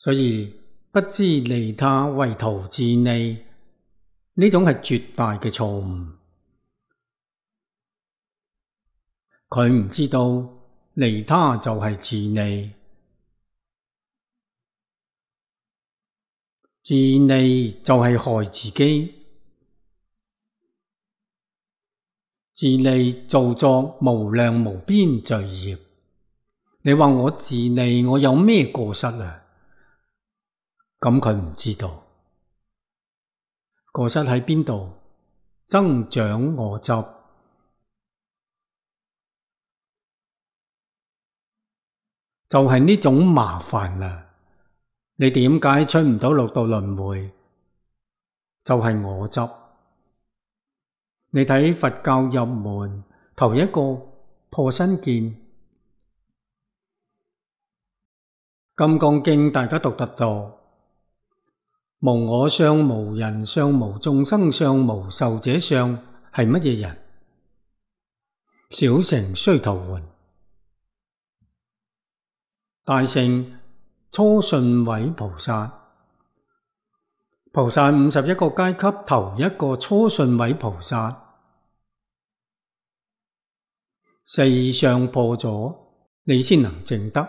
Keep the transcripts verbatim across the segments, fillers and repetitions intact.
所以不知利他為圖自利，呢種係絕大嘅錯誤。佢唔知道利他就係自利，自利就係害自己，自利造作無量無邊罪業。你話我自利，我有咩過失啊？咁佢唔知道過失喺邊度，增長我執。就係呢種麻煩啦。你點解出唔到六道輪迴？就係我執。你睇佛教入門頭一個破身見，金剛經大家讀得多。無我相、無人相、無眾生相、無壽者相，係乜嘢人？小乘須陀洹，大乘初信位菩薩。菩薩五十一個階級，頭一個初信位菩薩，四相破咗，你先能證得。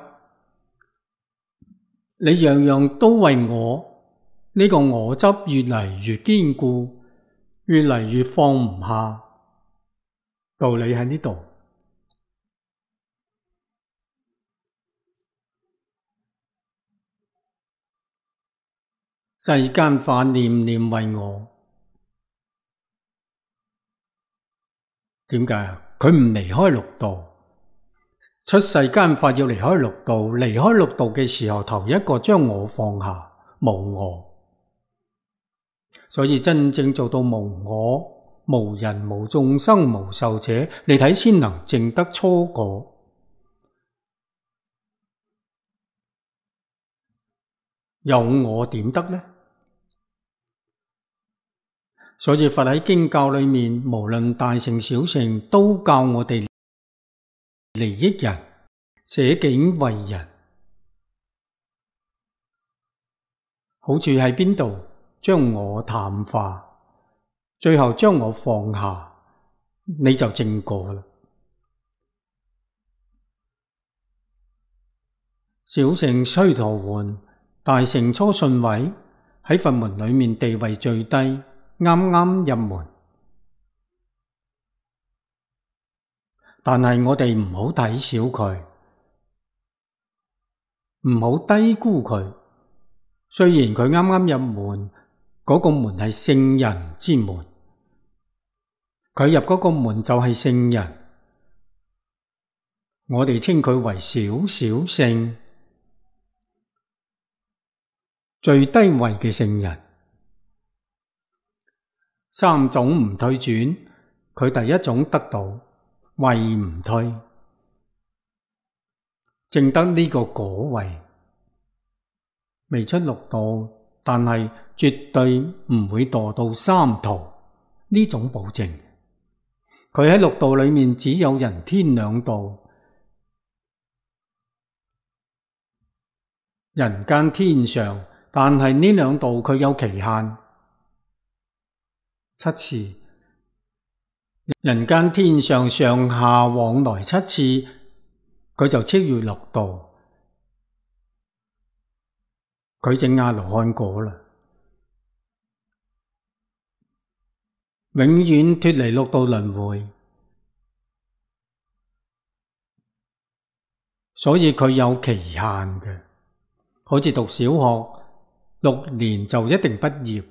你樣樣都為我。呢個我執越嚟越堅固，越嚟越放唔下。道理喺呢度。世間法念念為我，點解啊？佢唔離開六道，出世間法要離開六道，離開六道嘅時候，頭一個將我放下，無我。所以真正做到無我、無人、無眾生、無壽者，你睇先能證得初果。有我點得呢？所以佛喺經教裏面，無論大乘小乘，都教我哋利益人，捨境為人。好處喺邊度？將我淡化，最後將我放下，你就證果啦。小乘須陀洹，大乘初信位，喺佛門裏面地位最低，啱啱入門。但係我哋唔好睇小佢，唔好低估佢。雖然佢啱啱入門，嗰個門係聖人之門，佢入嗰個門就係聖人，我哋稱佢為小小聖，最低位嘅聖人。三種唔退轉，佢第一種得到，位唔退，證得呢個果位，未出六道，但係絕對唔會墮到三途，呢種保證。佢喺六道裏面只有人天兩道，人間天上，但係呢兩道佢有期限，七次。人間天上上下往來七次，佢就超越六道，佢證阿羅漢果啦，永遠脫離六道輪迴。所以佢有期限嘅，好似讀小學六年就一定畢業，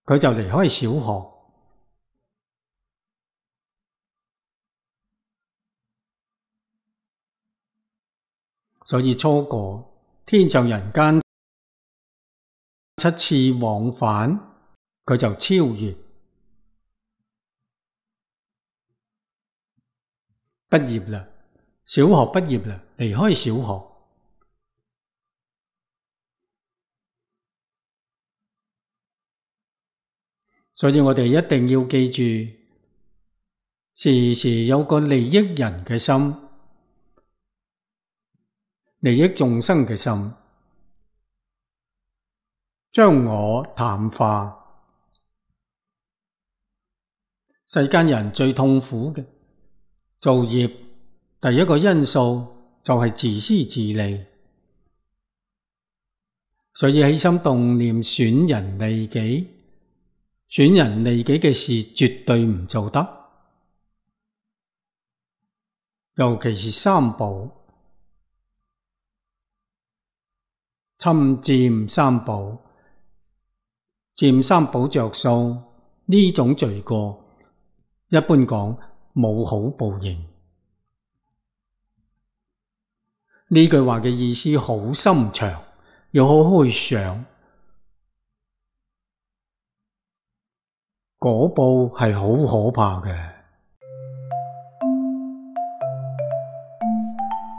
佢就離開小學。所以初果天上人間七次往返，佢就超越。畢業啦，小學畢業啦，離開小學。所以我哋一定要記住，時時有個利益人嘅心，利益眾生嘅心，將我淡化。世間人最痛苦嘅造業，第一個因素就係自私自利，所以起心動念損人利己，損人利己嘅事絕對唔做得。尤其是三寶，侵佔三寶，佔三寶着數，呢種罪過一般講冇好報應。呢句話嘅意思好深長，要好好去想，果報係好可怕嘅。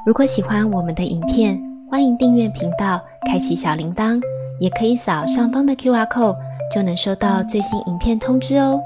如果喜歡我們的影片，歡迎訂閱頻道，開啟小鈴鐺，也可以掃上方的 Q R code，就能收到最新影片通知哦。